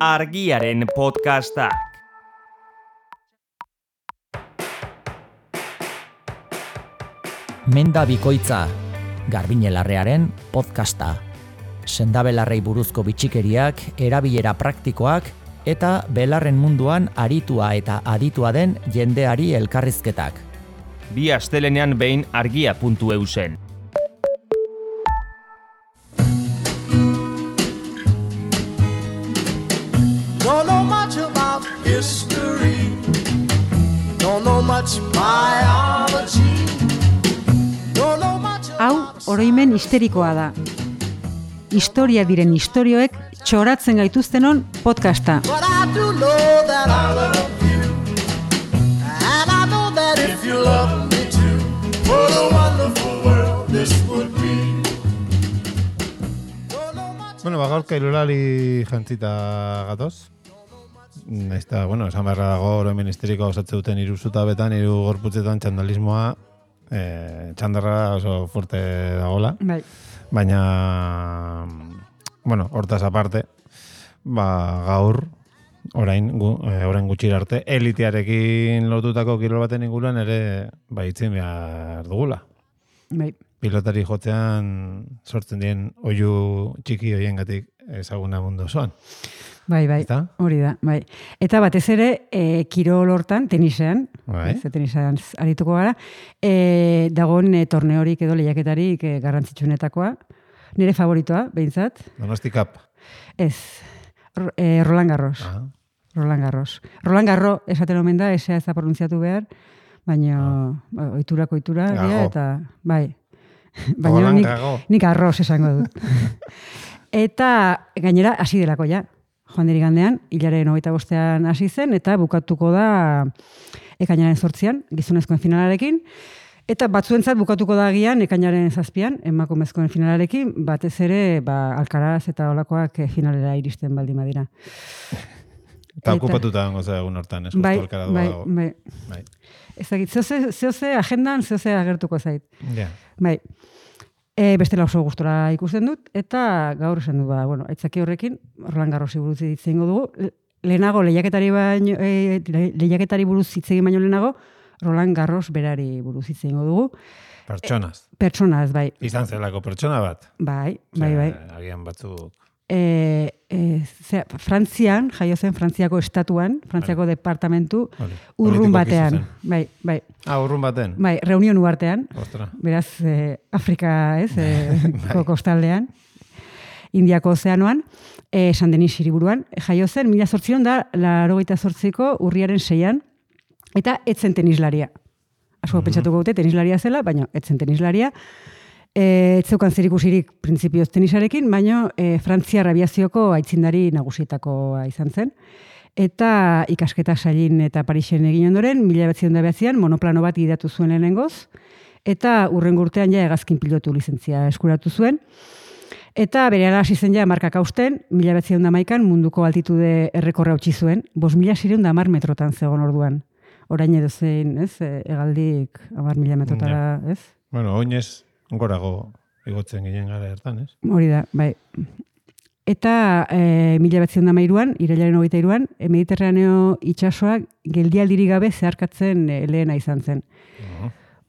Argiaren podcastak. Menda bikoitza, Garbiñelarrearen podcasta. Sendabelarrei buruzko bitxikeriak, erabilera praktikoak eta belarren munduan aritua eta aditua den jendeari elkarrizketak. Bi astelenean behin argia.eu zen. Don't know much about history. Don't know much biology. Don't know much Hau, oroimen histerikoa da. Historia diren istorioek txoratzen gaituztenon podcasta. But I do know that I love you. And I know that if you love me too, what a wonderful world this would be. Bueno, gaurka irulali jantzita gatoz. Naizta, esan beharra dago oroimen histerikoa osatze duten hiru zutabetan, hiru gorputzetan txandalismoa, txandarra oso fuerte dagola. Bai. Baina, hortaz aparte, gaur, orain gutxira arte, elitearekin lotutako kirol baten inguruan ere baitzen behar dugula. Bai. Pilotari jotzean sortzen dien oihu txiki hoiengatik ezaguna mundu osoan. Bai, hori da, bai. Eta batez ere, kirol hortan, tenisean, Bai. tenisean arituko gara, dagoen torneorik edo lehiaketarik garrantzitsuenetakoa. Nire favoritoa, behintzat. Donosti Cup. Ez, Roland Garros. Ah. Roland Garros. Roland Garros esaten omen da, esea ez da pronuntziatu behar, baina oiturako oitura, Gago. eta bai. Roland Baina Gago. nik arroz esango dut. Eta gainera hasi delako ja. Joan diri gandean, hilaren 25ean hasi zen, eta bukatuko da ekainaren 8ean, gizonezkoen finalarekin, eta batzuentzat bukatuko da agian ekainaren 7ean, emakumezkoen finalarekin, batez ere, Alcaraz eta olakoak finalera iristen baldin badira. Eta okupatuta dago egun hortan, ez Bai, justu Alcaraz dago. bai. Ezagit, zehose agendan, zehose agertuko zait. Ja. Bai. Bestela oso gustora ikusten dut, eta gaur esan du, aitzaki horrekin, Roland Garrosi buruz hitz egingo dugu. Lehenago, lehiaketari buruz hitz egin baino lehenago, Roland Garros berari buruz hitz egingo dugu. Pertsonaz, bai. Izan zelako pertsona bat. Bai. Agian batzuk. Frantzian, jaio zen Frantziako estatuan, Frantziako departamentu, urrun batean. Bai. Urrun baten? Bai, Reunion uhartean. Ostra. Beraz, Afrika, kostaldean, Indiako ozeanoan, San Denis hiriburuan, jaio zen, 1888ko urriaren 6ean, eta etzen tenislaria. Asko pentsatuko dute tenislaria zela, baina etzen tenislaria. Etzeukan zerikusirik printzipioz tenisarekin, baina Frantziar abiazioko aitzindari nagusietakoa izan zen. Eta ikasketa Sailin eta Parisen egin ondoren, 1909an monoplano bat gidatu zuen lehenengoz, eta hurrengo urtean ja hegazkin pilotu lizentzia eskuratu zuen. Eta berehala hasi zen ja markak hausten, 1911an munduko altitude errekorra utzi zuen, 5.610 metrotan zegoen orduan. Orain edo zein, hegaldik 10.000 metrotara, ez? Oinez, gorago igotzen ginen gara hartan, ez? Hori da, bai. Eta 1913an, irailaren 23an, Mediterraneo itsasoak geldialdirik gabe zeharkatzen lehena izan zen.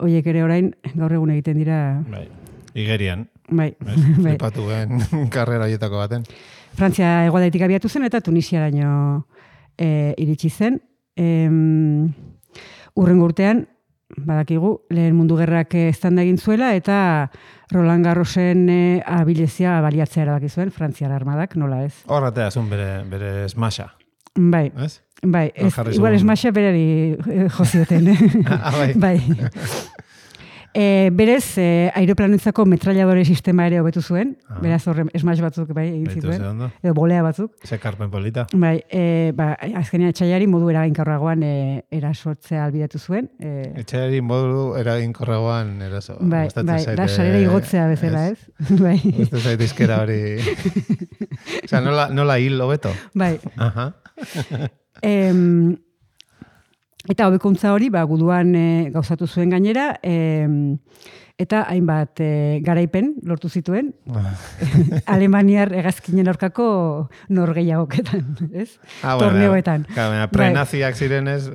Horiek ere orain, gaur egun egiten dira... Bai, igerian. Bai. Flipatu gen karrera horietako baten. Frantzia hegoaldetik abiatu zen eta Tunisiaraino iritsi zen. Hurrengo urtean, badakigu, lehen mundu gerrak eztanda egin zuela, eta Roland Garrosen abilezia baliatzea erabaki zuen, Frantziar armadak, nola ez? Horratea zuen bere smasha. Bai, ez? Bai, igual smasha berari jozioten. Bai. Berez, aeroplanentzako metralladore sistema ere hobetu zuen, beraz horre smash batzuk egin zituen, edo bolea batzuk. Zekarpen polita. Bai, azkenean etxaiari modu eraginkorragoan erasotzea albidatu zuen. Etxaiari modu eraginkorragoan eraso. Bai, da sarera igotzea bezala, ez? Bai. Uste zait izkera hori... Osa, nola hil hobeto? Bai. Aha. Eta hobekuntza hori, guduan gauzatu zuen gainera, eta hainbat garaipen lortu zituen, Alemaniar hegazkinen aurkako norgehiagoketan, ez? Torneoetan. Prenaziak zirenez,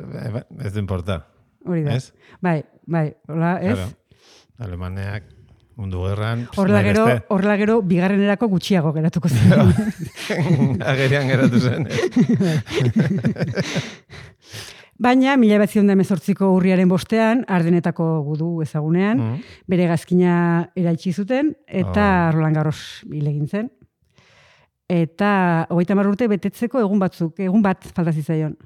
ez du importa. Hori da. Ez? Bai, hola, ez? Claro. Alemaneak mundu gerran... Horrela gero, bigarrenerako gutxiago geratuko zen. Agerian geratu zen. Baina, 1918ko urriaren bostean, Ardenetako gudu ezagunean, bere hegazkina eraitsi zuten, eta Roland Garros hil egin zen. Eta 30 urte betetzeko egun bat falta zitzaion.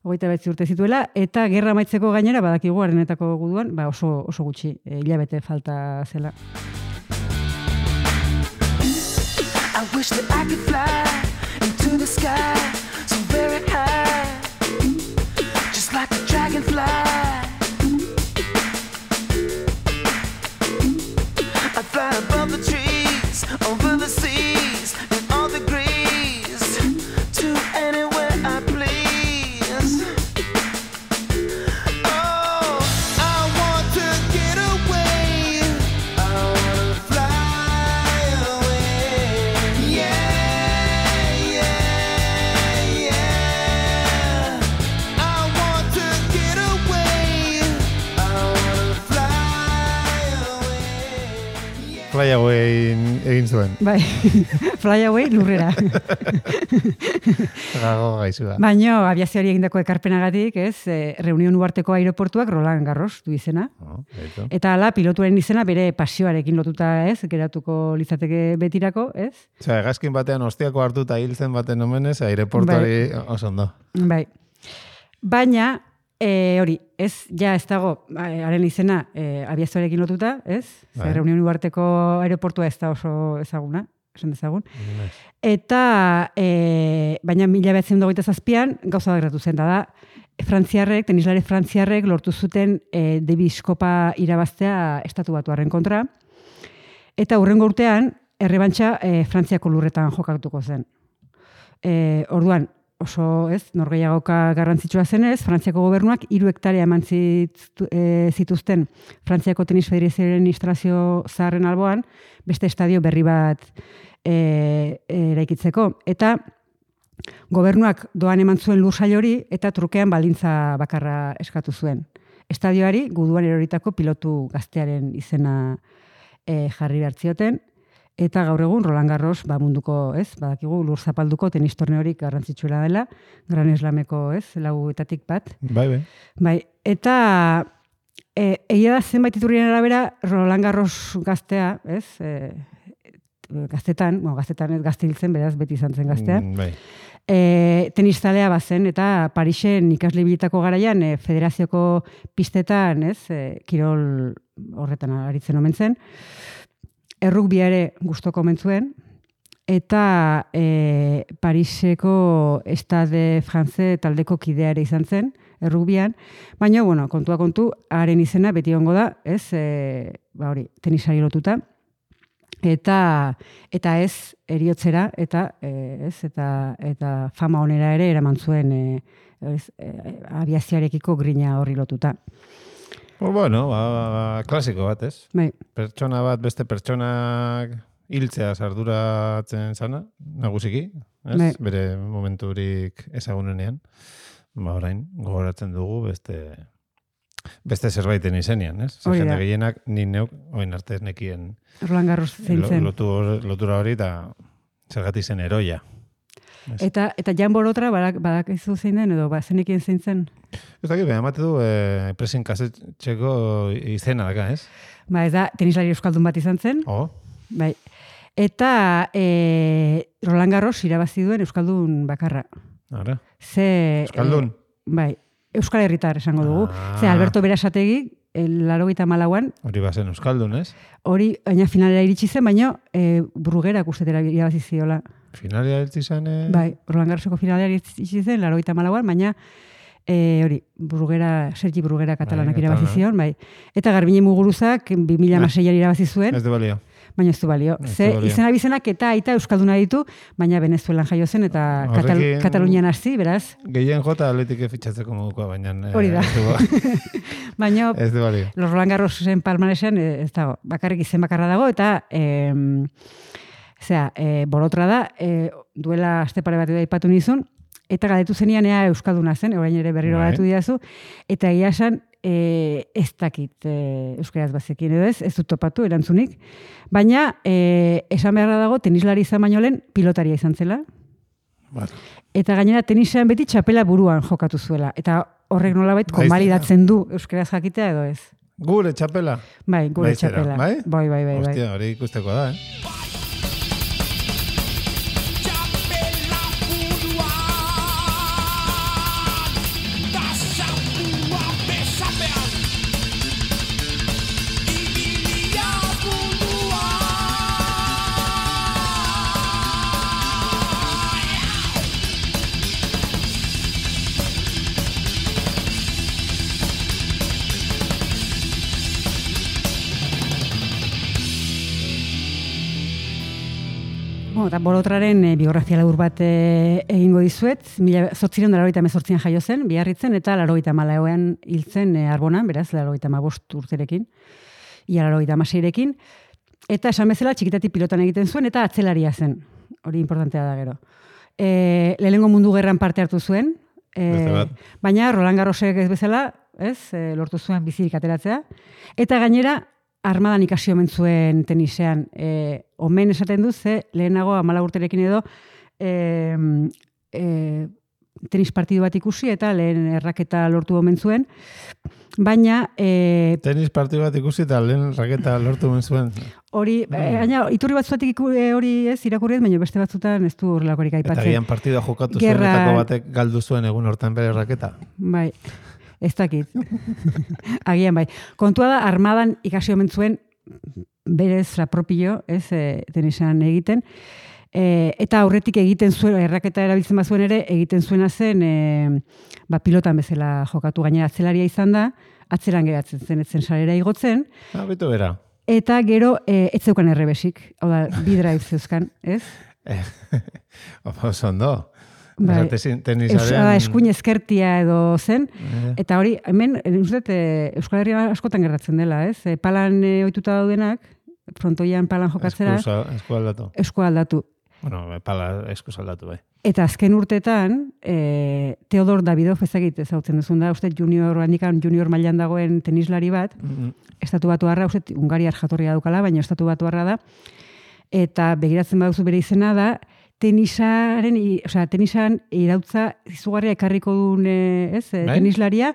29 urte zituela, eta gerra amaitzeko gainera, badakigu Ardenetako guduan, oso gutxi, hilabete falta zela. I wish that I could fly into the sky so very high, just like a dragonfly. I'd fly above the trees, over the seas, in all degrees, to anywhere I please. Oh, I want to get away. I want to fly away. Yeah, yeah, yeah. I want to get away. I want to fly away. Fly away egin zuen. Bai, fly away lurrera. Gago gaizua. Baina abiazioari egindako ekarpenagatik, ez, Reunion Uharteko aireportuak Roland Garros du izena. Eta hala, pilotuaren izena bere pasioarekin lotuta, ez, geratuko litzateke betirako, ez? Osea, hegazkin batean ostiako hartuta hiltzen baten omenez, aireportuari oso ondo. Bai. Baina, hori, ez dago, haren izena abiazioarekin lotuta, ez? Bai. Reunion Uharteko aireportua ez da oso ezaguna, esan dezagun. Eta, baina 1927an gauza bat gertatu zen, da frantziarrek, tenislari frantziarrek lortu zuten Davis Kopa irabaztea estatu batuarren kontra. Eta hurrengo urtean, errebantxa Frantziako lurretan jokatuko zen. Orduan, oso, ez, norgehiagoka garrantzitsua zenez, Frantziako gobernuak 3 hektarea eman zituzten Frantziako tenis federazioaren administrazio zaharren alboan, beste estadio berri bat eraikitzeko. Eta gobernuak doan eman zuen lursail hori eta trukean baldintza bakarra eskatu zuen. Estadioari guduan eroritako pilotu gaztearen izena jarri behartzioten, eta gaur egun Roland Garros munduko, ez, badakigu lur zapalduko tenis torneorik garrantzitsuela dela, Grand Slameko, ez, 4etatik bat. Bai, eta egia da zenbait iturrien arabera Roland Garros gaztea, ez, gaztetan ez gazte hiltzen, beraz beti izan zen gaztea. Tenistazalea bazen, eta Parisen ikasle bilitako garaian federazioko pistetan, ez, kirol horretan aritzen omen zen. Errugbia ere gustoko omen zuen, eta Pariseko Stade France taldeko kidea ere izan zen, errugbian, baina, kontua kontu, haren izena beti ongo da, ez, hori, tenisari lotuta, eta ez eriotzera, eta fama onera ere eraman zuen abiazioarekiko grina horri lotuta. Klasiko bat, ez? Bai. Pertsona bat, beste pertsonak hiltzea arduratzen zana, nagusiki, ez? Bai. Bere momenturik ezagunenean. Orain, gogoratzen dugu beste zerbaiten izenean, ez? Jende gehienak ni neuk, oin arte ez nekien Roland Garros zein zen. Lotura hori eta zergatik zen heroia. Eta Jan Borotra badakizu zein den, edo zenekien zein zen? Ez dakit, emate du presen kasetxeko izena daka, ez? Ez da, tenislari euskaldun bat izan zen. Bai. Eta Roland Garros irabazi duen euskaldun bakarra. Ara? Euskaldun? Bai, euskal herritar esango dugu. Alberto Berasategi, 84an. Hori bazen euskaldun, ez? Hori, baina finalera iritsi zen, baina Bruguerak ustetera irabazi ziola. Finalera iritsi zen? Bai, Roland Garroseko finalera iritsi zen, 84an, baina hori, Sergi Brugera katalanak irabazi zion, bai. Eta Garbine Muguruzak 2006an irabazi zuen. Ez de balio. baina ez du balio. Ez du Ze balio. izena bizenak eta aita euskalduna ditu, baina Venezuelan jaio zen eta Horrekin- Katalunian hasi, beraz. Gehien jota Atletik fitxatzeko modukoa, baina... Hori da. Baina Ez du balio. Los Roland Garrosen palmaresean ez dago, bakarrik izen bakarra dago, eta borotra da, duela aste pare bat aipatu nizun, eta galdetu zenian ea euskalduna zen, orain ere berriro Bai. galdetu didazu, eta egia esan ez dakit euskaraz bazekin edo ez dut topatu erantzunik, baina esan beharra dago tenislari izan baino lehen pilotaria izan zela, Bai. eta gainera tenisean beti txapela buruan jokatu zuela, eta horrek nolabait konbalidatzen du euskaraz jakitea edo ez. Gure txapela. Bai, gure Baizera, txapela. bai? Bai. Hostia, hori ikusteko da, Bueno, eta borotraren biografia labur bat egingo dizuet, 1988an jaio zen, Biarritzen, eta 94ean hil zen Arbonan, beraz, 95 urterekin, ia 96rekin, eta esan bezala txikitatik pilotan egiten zuen, eta atzelaria zen, hori importantea da gero. Lehenengo mundu gerran parte hartu zuen, Beste bat. baina Roland Garrosek ez bezala, lortu zuen bizirik ateratzea, eta gainera, armadan ikasi omen zuen tenisean. Omen esaten du, ze lehenago 14 urterekin edo tenis partidu bat ikusi eta lehen erraketa lortu omen zuen. Baina Tenis partidu bat ikusi eta lehen raketa lortu ben zuen. hori, gaina iturri batzuetik hori ez irakurri ez, baina beste batzutan ez du horrelakorik Eta aipatzen. gian partidua jokatu Gerra- zuenetako batek galdu zuen egun hortan bere raketa. Bai, ez dakit. Agian bai. Kontua da, armadan ikasi omen zuen berez lapropio, ez, tenisean egiten. Eta aurretik egiten zuen, erraketa erabiltzen bazuen ere, egiten zuena zen, pilotan bezala jokatu gainera atzelaria izan da, atzeran geratzen zen, etzen sarera igotzen, Bitu bera. eta gero ez zeukan errebesik, hau da, bi drive zeuzkan, ez? Oso ondo. Bai. Tenisaren... Eskuin ezkertia edo zen, eta hori, hemen, uste, Euskal Herrian askotan gertatzen dela, ez? Palan ohituta daudenak, frontoian palan jokatzera, Esku aldatu. esku aldatu. Bueno, pala esku aldatu, bai. Eta azken urtetan, Teodor Davidov ezagit ezautzen duzun da, uste junior mailan dagoen tenislari bat, estatu batuarra, uste Hungariar jatorria daukala, baina estatu batuarra da, eta begiratzen baduzu bere izena da, tenisan irautza izugarria ekarriko duen tenislaria,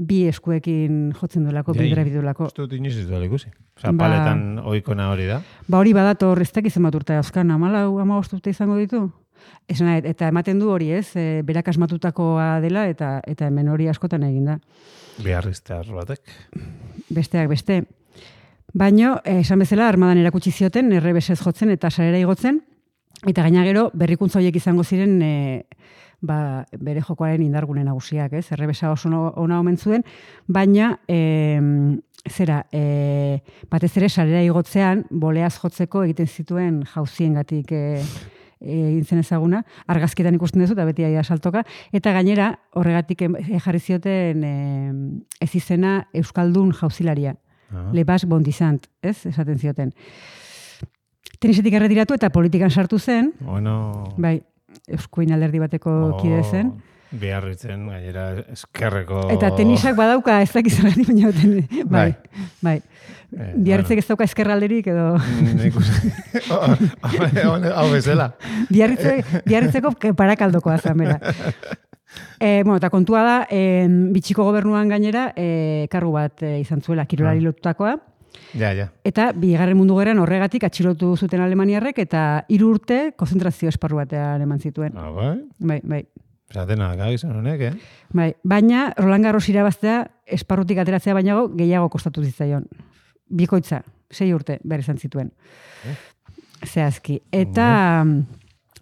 bi eskuekin jotzen duelako, bidera bidulako. Ez dut inoiz ez duela ikusi. Osa, paletan oikona hori da. Hori badator, ez dakiz zenbat urte dauzkan, 14 urte izango ditu? Eta ematen du hori, ez? Berak asmatutakoa dela, eta hemen hori askotan egin da. Biarriztear batek. Besteak beste. Baina, esan bezala, armadan erakutsi zioten, errebesez jotzen eta sarera igotzen, eta gaina gero, berrikuntza horiek izango ziren, bere jokoaren indargune nagusiak, ez? Errebesa oso ona omen zuen, baina, batez ere, sarera igotzean, boleaz jotzeko egiten zituen jauziengatik egin zen ezaguna, argazkietan ikusten duzu, eta beti aia saltoka, eta gainera, horregatik jarri zioten ez izena Euskaldun jauzilaria. Le Bas Bondizant, ez? Esaten zioten. Tenisetik erretiratu eta politikan sartu zen, Bueno... bai, Eskuin alderdi bateko kide zen. Biarritzen, gainera, eskerreko... Eta tenisak badauka ez dakiz errati, baina bai. Biarritzek ez dauka eskerralderik edo... Hau bezala. Biarritzeko parakaldokoa zamera. Eta kontua da, bitxiko gobernuan gainera, kargu bat izan zuela, kirolari lotutakoa. Ja. Eta bigarren mundu gerran horregatik atxilotu zuten alemaniarrek eta 3 urte konzentrazio esparru batean eman zituen. Bai. Zatena, gizan honek, Bai, baina Roland Garros irabaztea esparrutik ateratzea bainago gehiago kostatu zitzaion. Bikoitza, 6 urte behar izan zituen. Zehazki. Eta,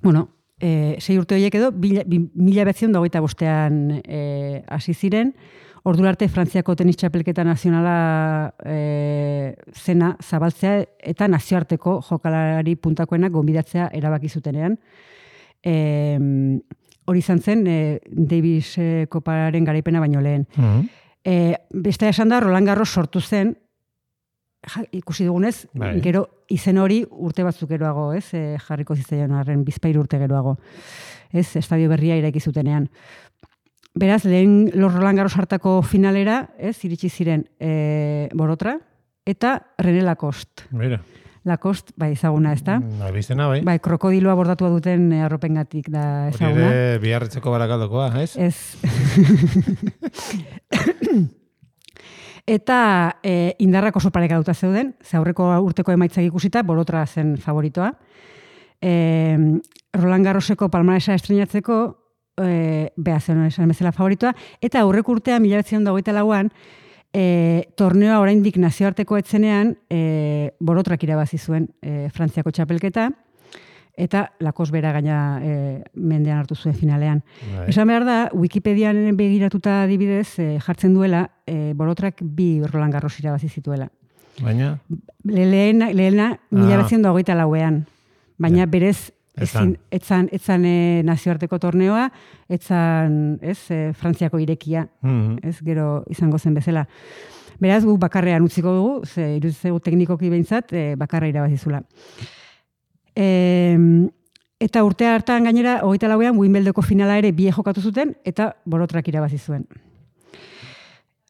6 urte horiek edo, 1925an hasi ziren, Ordura arte Frantziako tenis txapelketa nazionala zena zabaltzea eta nazioarteko jokalari puntakoenak gonbidatzea erabaki zutenean. Hori izan zen Davis koparen garaipena baino lehen. Beste esan da, Roland Garros sortu zen, ikusi dugunez, gero izen hori urte batzuk geroago, jarriko zitzaion arren, 2 urte geroago. Estadio berria eraiki zutenean. Beraz, lehen Roland Garros hartako finalera, iritsi ziren Borotra eta René Lacoste. Mira. Lacoste, bai, ezaguna, ez da? Abizena, bai. Bai, krokodiloa bordatua duten arropengatik da ezaguna. Hori ere biharretzeko barakaldokoa, ez? Ez. Eta indarrak oso parekatuta zeuden, ze aurreko urteko emaitzak ikusita, Borotra zen favoritoa. Roland Garroseko palmaresa estreinatzeko, behazen esan bezala favoritoa, eta aurreko urtea 1924an, torneoa oraindik nazioarteko etzenean, Borotrak irabazi zuen Frantziako txapelketa, eta Lacoste bera gaina mendean hartu zuen finalean. Esan behar da, Wikipedian begiratuta adibidez, jartzen duela, Borotrak 2 Roland Garros irabazi zituela. Baina? Lehena 1924an. Baina berez, etzan nazioarteko torneoa, etzan Frantziako irekia, gero izango zen bezala. Beraz, guk bakarrean utziko dugu, iruditzegu teknikoki behintzat, bakarra irabazizula. Eta urte hartan gainera, 24an Wimbledoneko finala ere 2 jokatu zuten, eta Borotrak irabazi zuen.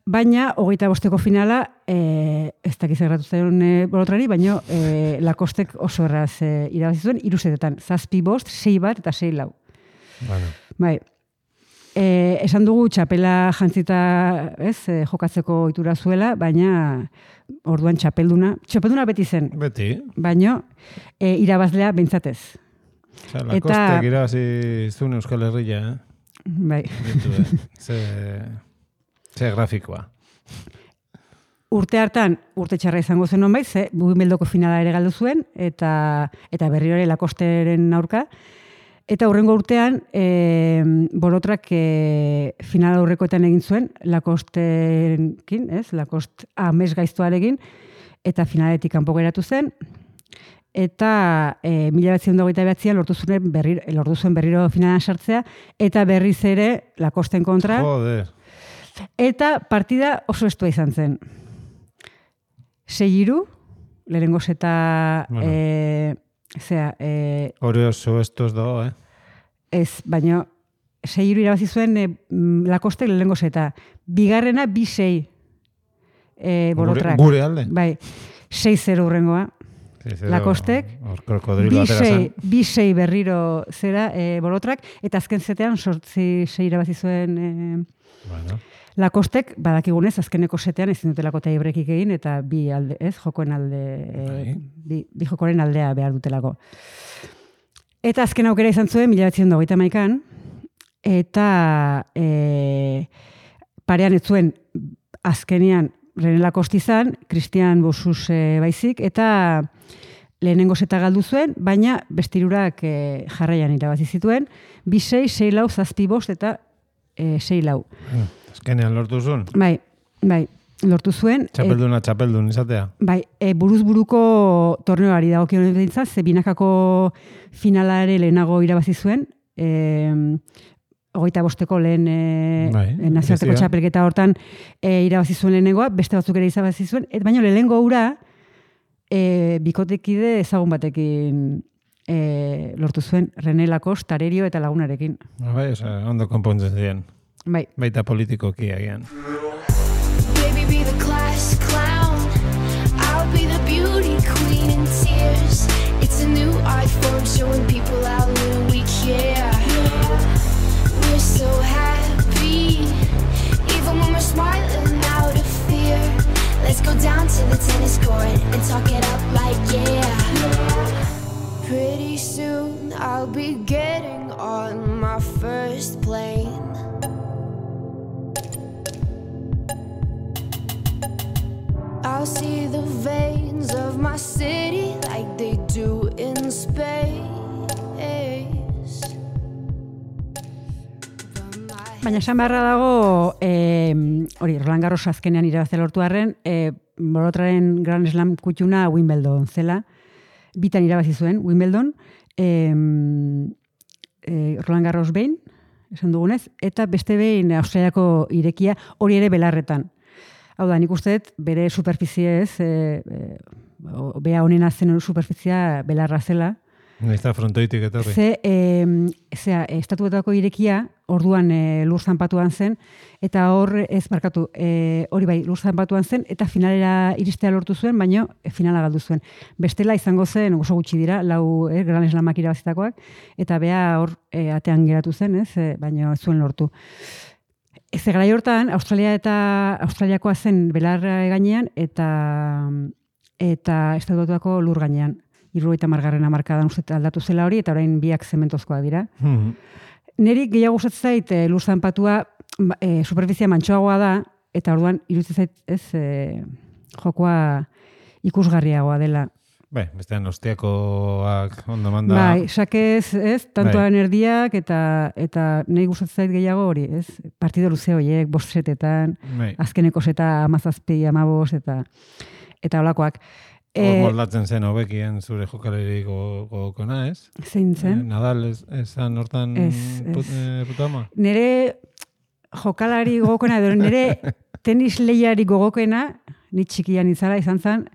Baina, 25ko finala, ez dakiz erratu zen Borotrari, baina Lacostek oso erraz irabazi zuen, 3 setetan, 7-5, 6-1 eta 6-4. Bai. Esan dugu txapela jantzita jokatzeko ohitura zuela, baina orduan txapelduna beti zen. Beti. Baina irabazlea behintzatez. Lacostek irabazi zuen Euskal Herria, Bai. Ze grafikoa. Urte hartan, urte txarra izango zen honbait, Wimbledoneko finala ere galdu zuen, eta berriro ere Lacosteren aurka. Eta hurrengo urtean, Borotrak final aurrekoetan egin zuen, Lacosterekin, Lacoste amez gaiztoarekin, eta finaletik kanpo geratu zen. Eta 1929an lortu zuen berriro finalan sartzea, eta berriz ere Lacosten kontra. Joder. Eta partida oso estua izan zen. 6-3, lehenengo zeta... Hori oso estos dago, Ez, baina 6-3 irabazi zuen Lacostek lehenengo zeta. Bigarrena 2-6 Borotrak. Gure alde? Bai, 6-0 hurrengoa. Lacostek. 2-6 berriro zera Borotrak, eta azken zetean 6 irabazi zuen Lacostek, badakigunez, azkeneko setean ezin dutelako tiebreakik egin, eta bi jokoen aldea behar dutelako. Eta azken aukera izan zuen, 1931an, eta parean ez zuen azkenean René Lacoste izan, Christian Bossus baizik, eta lehenengo zeta galdu zuen, baina bestirurak jarraian irabazi zituen, 2-6, 6-4, 7-5 eta 6-4. Azkenean lortu zuen? Bai, lortu zuen. Txapeldun izatea? Bai, buruz-buruko torneoari dagokion behintzat, ze binakako finala ere lehenago irabazi zuen, 25ko lehen nazioarteko txapelketa hortan irabazi zuen lehenengoa, beste batzuk ere irabazi zuen, baina lehenengo hura bikotekide ezagun batekin lortu zuen, René Lacoste, Tarerio eta lagunarekin. Bai, ondo konpontzen ziren. Bai. Baita politikoki agian. Baby, be the class clown. I'll be the beauty queen in tears. It's a new art form showing people how little we care. We're so happy, even when we're smiling out of fear. Let's go down to the tennis court and talk it up like Pretty soon I'll be getting on my first plane. I'll see the veins of my city like they do in space. But my Baina esan beharra dago, hori, Roland Garros azkenean irabaztea lortu arren, borotraren Grand Slam kutxuna Wimbledon zela, bitan irabazi zuen Wimbledon, Roland Garros behin, esan dugunez, eta beste behin Australiako irekia, hori ere belarretan. Hau da, nik uste dut bere superfiziez, bea honena zen superfizia belarra zela. Naizta frontoitik etorri. Estatuetako irekia, orduan lur zanpatuan zen, eta hori bai, lur zanpatuan zen, eta finalera iristea lortu zuen, baino finala galdu zuen. Bestela izango zen, oso gutxi dira, 4 Grand Slamak irabazitakoak, eta bea hor atean geratu zen, baino ez zuen lortu. Garai hortan, Australiakoa zen belarra gainean, eta estatuetako lur gainean. 70. hamarkadan uste aldatu zela hori, eta orain biak zementozkoak dira. Neri gehiago gustatzen zait lur zanpatua superfizia mantsoagoa da, eta orduan iruditzen zait jokoa ikusgarriagoa dela. Bestean ostiakoak ondo manda. Bai, sakez, tantoan erdiak, eta nahi gustatzen zait gehiago hori, partido luze horiek, 5 setetan, azkeneko seta 17, 15, eta holakoak. Moldatzen zen hobekien zure jokalari gogokona, ez? Zein zen? Nadal esan hortan putama? Nere jokalari gogokena, edo nere tenis lehiari gogokena, ni txikian izan zen,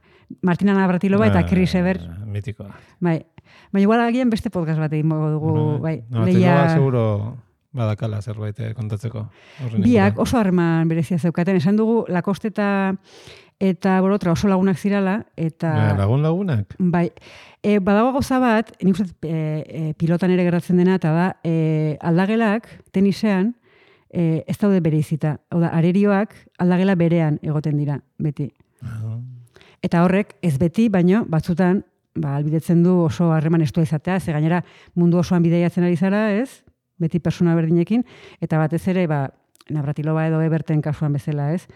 Martina Navratilova eta Chris Evert. Mitikoa. Bai. Baina igual agian beste podcast bat egin dugu. Navratilova seguro badakala zerbait kontatzeko. Biak oso harreman berezia zeukaten. Esan dugu Lacoste eta borotra oso lagunak zirala. Lagunak? Bai. Badago gauza bat, nik uste pilotan ere gertatzen dena, eta da, aldagelak tenisean ez daude bereizita. Hau da, arerioak aldagela berean egoten dira, beti. Eta horrek, ez beti, baino, batzutan, albidetzen du oso harreman estua izatea, ze gainera mundu osoan bideiatzen ari zara, ez? Beti persona berdinekin, eta batez ere, Navratilova edo Eberten kasuan bezala, ez?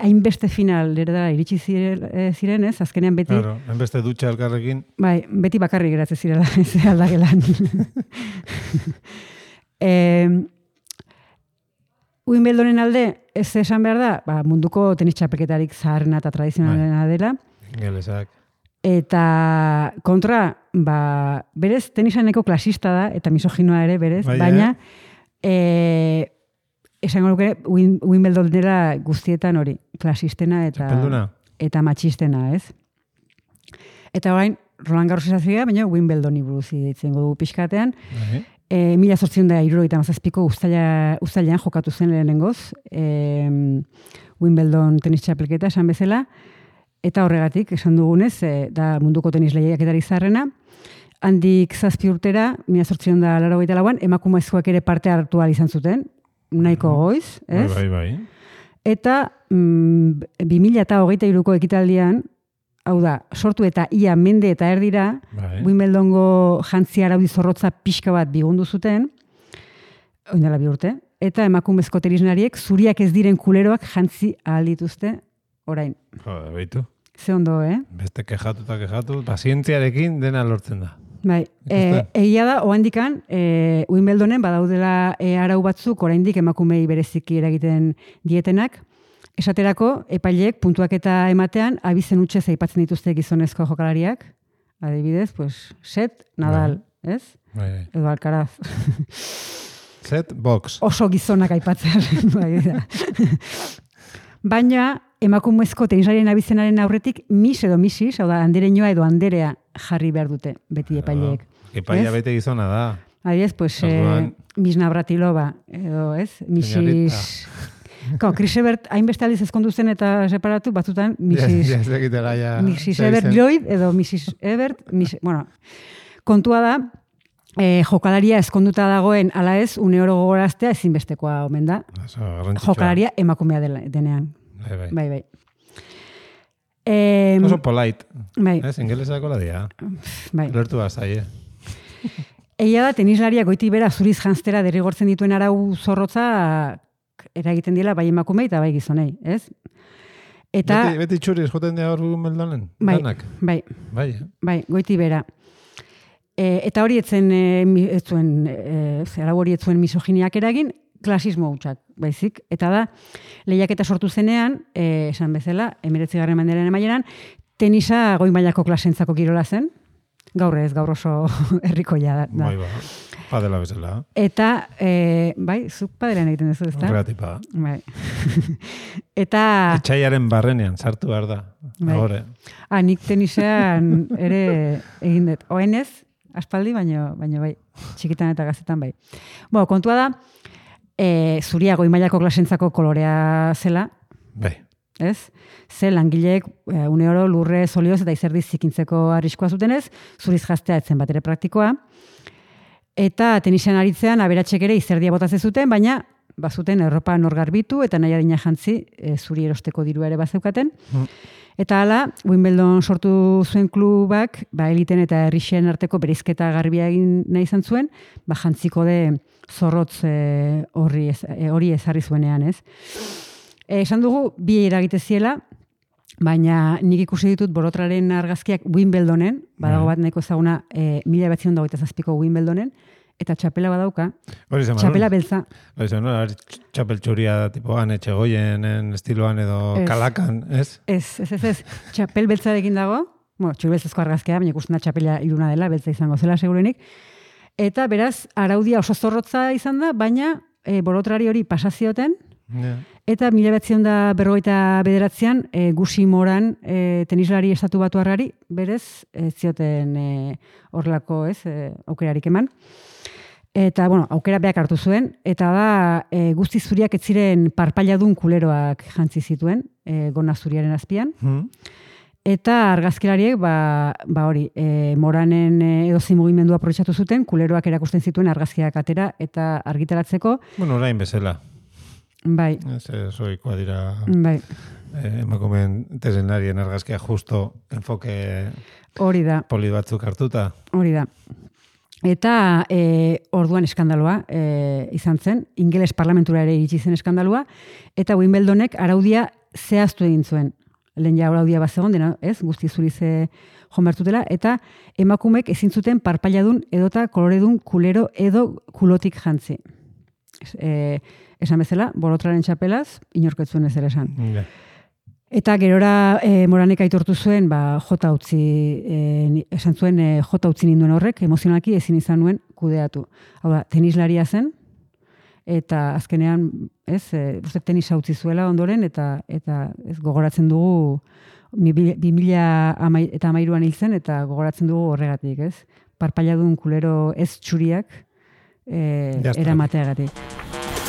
Hainbeste final da iritsi ziren, ez? Azkenean beti... Claro, hainbeste dutxa elkarrekin. Bai, beti bakarrik geratzen zirela, ez aldagelan. Wimbledonen alde, ez esan behar da, munduko tenis txapelketarik zaharrena eta tradizionalena dela. Gelesak. Eta kontra, berez tenisaneko klasista da, eta misoginoa ere, berez, baina esango nuke Wimbledon dela guztietan hori, klasistena eta matxistena, ez? Eta orain, Roland Garros esazia, baina Wimbledoni buruz ditzen dugu pixkatean. 1877ko uztailean jokatu zen lehenengoz, Wimbledon tenis txapelketa esan bezala, eta horregatik, esan dugunez, da munduko tenis lehiaketari zarrena, handik 7 urtera, 1884an, emakumezkoak ere parte hartu ahal izan zuten, nahiko goiz, ez? Bai. Eta 2023ko ekitaldian, hau da, sortu eta ia mende eta erdira, Wimbledongo jantzi araudi zorrotza pixka bat bigundu zuten, oindela 2 urte, eta emakumezko tenisnariek zuriak ez diren kuleroak jantzi ahal dituzte orain. Beitu. Ze ondo, Beste kejatu, pazientziarekin dena lortzen da. Bai, egia da, oandikan, Wimbledonen badaudela arau batzuk, oraindik emakumei bereziki eragiten dietenak, esaterako, epaileek puntuaketa ematean, abizen utxez aipatzen dituzte gizonezko jokalariak, adibidez, set, Nadal, ez? Bai. Edo Alcaraz. Set, box. Oso gizonak aipatzearen, bai. Baina, emakumezko tenislarien abizenaren aurretik, Miss edo Mrs, hau da, andereñoa edo anderea jarri behar dute, beti epaileek. Epailea bete gizona da. Adibidez, Miss Navratilova, edo, ez? Mrs. Chris Evert, hainbeste aldiz ezkondu zen eta separatu, batzutan Mrs. Evert Lloyd edo Mrs. Evert, bueno, kontua da, jokalaria ezkonduta dagoen ala ez, une oro gogoraztea ezinbestekoa omen da. Jokalaria emakumea denean. Bai. Oso polite. Bai. Ez, ingelesako la dia. Bai. Lertu bazai, Egia da, tenislaria goiti bera zuriz janztera derrigortzen dituen arau zorrotza eragiten dira bai emakumei eta bai gizonei, ez? Eta beti txuriz joten dira hor Wimbledonen? Bai, goiti bera. Eta hori arau hori etzuen misoginiak eragin, klasismo hutsak, baizik. Eta da, lehiaketa sortu zenean, esan bezala, 19. mendearen amaieran, tenisa goi mailako klasentzako kirola zen. Gaur ez, gaur oso herrikoia da. Bai, padela bezala. Eta, bai, zuk padelean egiten duzu, ezta? Horregatipa. Bai. Eta... Etxaiaren barrenean, sartu behar da. Bai. Agore. Nik tenisean ere egin dut. Oenez, aspaldi, baino bai, txikitan eta gazetan bai. Kontua da, zuria goi mailako klasentzako kolorea zela, Bai. ez? Ze langileek une oro lurre solioz eta izerdiz zikintzeko arriskoa zutenez, zuriz jaztea etzen bat ere praktikoa. Eta tenisean aritzean aberatxek ere izerdia botatzen zuten, baina bazuten Europa nor garbitu eta nahi adina jantzi zuri erosteko dirua ere bazeukaten. Eta hala, Wimbledon sortu zuen klubak, eliten eta herrixen arteko bereizketa garbia egin nahi izan zuen, jantziko de zorrotz hori ezarri zuenean, ez? Esan dugu, bi eragite ziela, baina nik ikusi ditut borotraren argazkiak Wimbledonen, badago bat nahiko ezaguna 1927ko Wimbledonen, eta txapela badauka, txapela beltza. Hori zen, txapel txuria tipo Etxegoienen estiloan edo kalakan, ez? Ez. Txapel beltzarekin dago, txuri beltzazko argazkea, baina ikusten da txapela iluna dela, beltza izango zela segurenik. Eta beraz, araudia oso zorrotza izan da, baina borotrari hori pasazioten, eta 1959an Gusi Moran tenislari estatu batuarrari berez zioten horrelako aukerarik eman. Eta, aukera beak hartu zuen, eta da guzti zuriak ez ziren parpailadun kuleroak jantzi zituen, gona zuriaren azpian. Eta argazkilariek, hori, Moranen edozein mugimendua aprobetxatu zuten, kuleroak erakusten zituen argazkiak atera eta argitaratzeko. Orain bezala. Bai. Zoikoa dira bai. Emakumeen tesenarien argazkia justo enfoke hori da. Poli batzuk hartuta. Hori da. Eta orduan eskandaloa izan zen, ingeles parlamentura ere iritsi zen eskandaloa, eta Wimbledonek araudia zehaztu egin zuen. Lehen ja araudia bazegon dena, ez? Guzti zurize jomertutela, eta emakumek ezin zuten parpailadun edota koloredun kulero edo kulotik jantzi. Esan bezala, borotraren txapelaz, inorketzuen ez ere esan. Yeah. Eta gerora Moranek aitortu zuen, jota utzi, esan zuen jota utzi ninduen horrek, emozionalki ezin izan nuen kudeatu. Hau da, tenislaria zen, eta azkenean, tenisa utzi zuela ondoren, eta ez gogoratzen dugu 2013an hil zen, eta gogoratzen dugu horregatik, ez? Parpailadun kulero ez txuriak eramateagatik.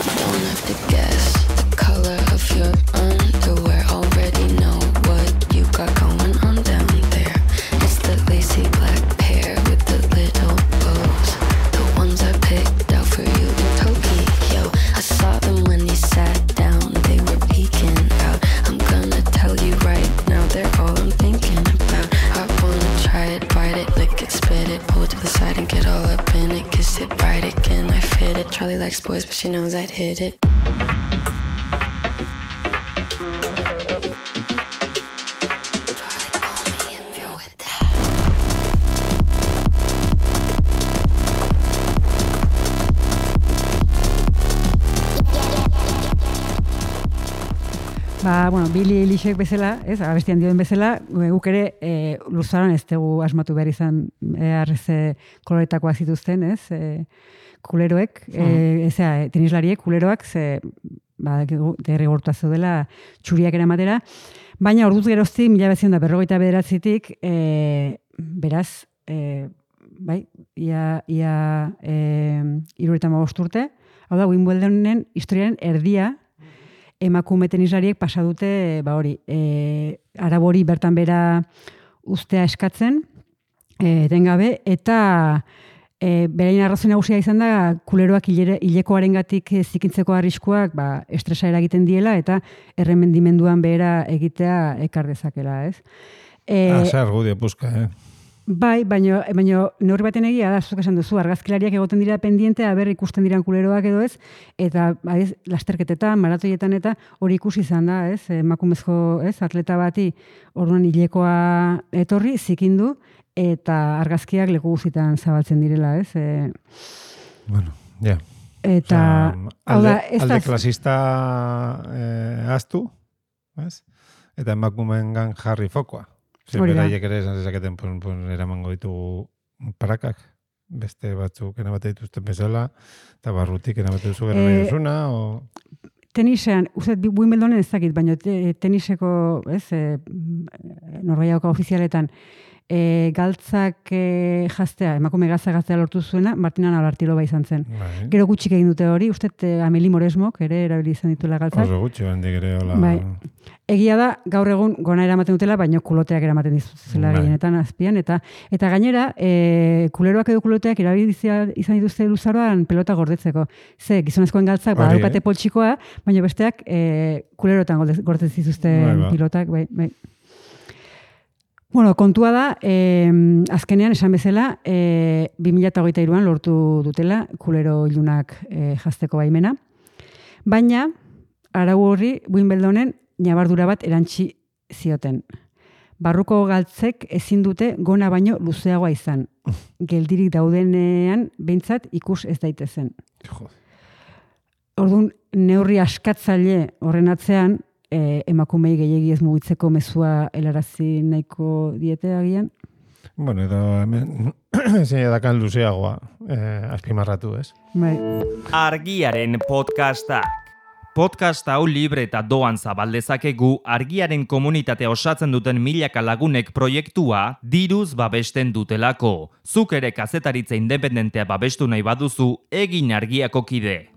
Don't have to guess the color of your underwear. Already know what you got going on down there. It's the lacy black pair with the little bows. The ones I picked out for you in Tokyo. I saw them when you sat down. They were peeking out. I'm gonna tell you right now, they're all I'm thinking about. I wanna try it, bite it, lick it, spit it, pull it to the side and get all up in it. Kiss it, bite it, can I fit it? Charlie likes boys, but she knows I'd hit it. Billie Eilishek bezala, abestian dioen bezala, guk ere luzaron ez dugu asmatu behar izan koloretakoak zituzten, kuleroek, tenislariek, kuleroak, derrigortua zeudela txuriak eramatera, baina orduz geroztik, 1959tik, beraz, ia 75 urte, hau da, Wimbledonen historiaren erdia, emakume tenislariek pasa dute, arabori bertan bera ustea eskatzen, etengabe, eta berain arrazoi nagusia izan da, kuleroak hilekoarengatik zikintzeko arriskuak estresa eragiten diela, eta erremendimenduan behera egitea ekar dezakela, ez? Zer argudio puzka, Bai, baina neurri baten egia da, zuk esan duzu, argazkilariak egoten dira pendiente, aber ikusten diran kuleroak edo ez, eta lasterketetan, maratoietan eta hori ikusi izan da, ez? Emakumezko, atleta bati orduan hilekoa etorri, zikindu, eta argazkiak leku guztietan zabaltzen direla, ez? Eta, hau da, ez alde da, klasista aztu, ez? Eta emakumeengan jarri fokoa. Hori da. Beraiek ere esan zezaketen, pues, eramango ditugu parakak, beste batzuk enabate dituzten bezala, eta barrutik enabate duzu gero nahi duzuna, o... Tenisean, uste, Wimbledonen ez dakit, baina teniseko, Norgehiagoko ofizialetan, galtzak jaztea, emakume galtzak lortu zuena, Martina Navratilova izan zen. Bai. Gero gutxik egin dute hori, uste Amelie Mauresmok ere erabili izan dituela galtzak. Oso gutxi handik ere, hola... Bai. Egia da, gaur egun gona eramaten dutela, baino kuloteak eramaten dituzela Bai. gehienetan azpian, eta gainera, kuleroak edo kuloteak erabili izan dituzte luzaroan pelota gordetzeko. Ze, gizonezkoen galtzak, badaukate poltsikoa, baina besteak kulerotan gordetzen dituzte pilotak, bai. Bueno, kontua da, azkenean esan bezala, 2023an lortu dutela kulero ilunak jazteko baimena. Baina, arau horri Wimbledonen ñabardura bat erantzi zioten. Barruko galtzek ezin dute gona baino luzeagoa izan. Geldirik daudenean behintzat ikus ez daitezen. Orduan, neurri askatzaile horren atzean, emakumei gehiegi ez mugitzeko mezua helarazi nahiko diete agian. Bueno, edo hemen zein edakan luzeagoa azpimarratu, ez? Bai. Argiaren podcastak. Podcast hau libre eta doan zabaldezakegu Argiaren komunitatea osatzen duten milaka lagunek proiektua diruz babesten dutelako. Zuk ere kazetaritza independentea babestu nahi baduzu, egin Argiako kide.